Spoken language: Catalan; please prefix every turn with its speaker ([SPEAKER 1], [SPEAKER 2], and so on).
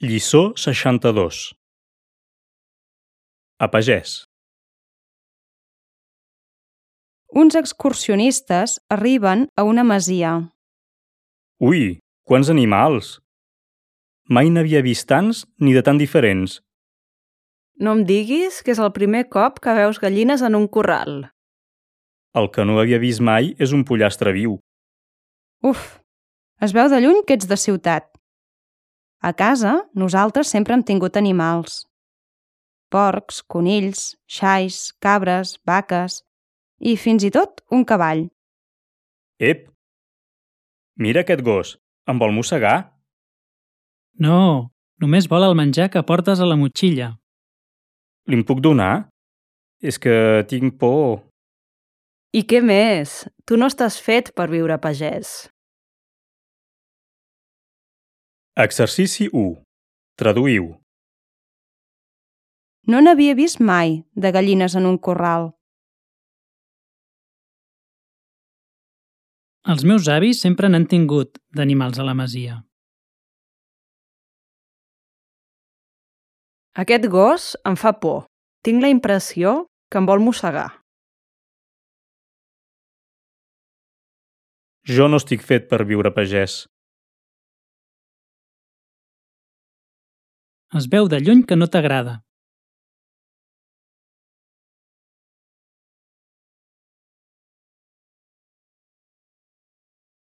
[SPEAKER 1] Lliçó 62. A pagès.
[SPEAKER 2] Uns excursionistes arriben a una masia.
[SPEAKER 1] Ui, quants animals! Mai n'havia vist tants ni de tan diferents.
[SPEAKER 3] No em diguis que és el primer cop que veus gallines en un corral.
[SPEAKER 1] El que no havia vist mai és un pollastre viu.
[SPEAKER 2] Uf, es veu de lluny que ets de ciutat. A casa, nosaltres sempre hem tingut animals. Porcs, conills, xais, cabres, vaques i fins i tot un cavall.
[SPEAKER 1] Ep! Mira aquest gos, em vol mossegar?
[SPEAKER 4] No, només vol el menjar que portes a la motxilla.
[SPEAKER 1] Li'n puc donar? És que tinc por.
[SPEAKER 3] I què més? Tu no estàs fet per viure a pagès.
[SPEAKER 1] Exercici 1. Traduïu.
[SPEAKER 2] No n'havia vist mai, de gallines en un corral.
[SPEAKER 4] Els meus avis sempre n'han tingut, d'animals a la masia.
[SPEAKER 3] Aquest gos em fa por. Tinc la impressió que em vol mossegar.
[SPEAKER 1] Jo no estic fet per viure a pagès.
[SPEAKER 4] Es veu de lluny que no t'agrada.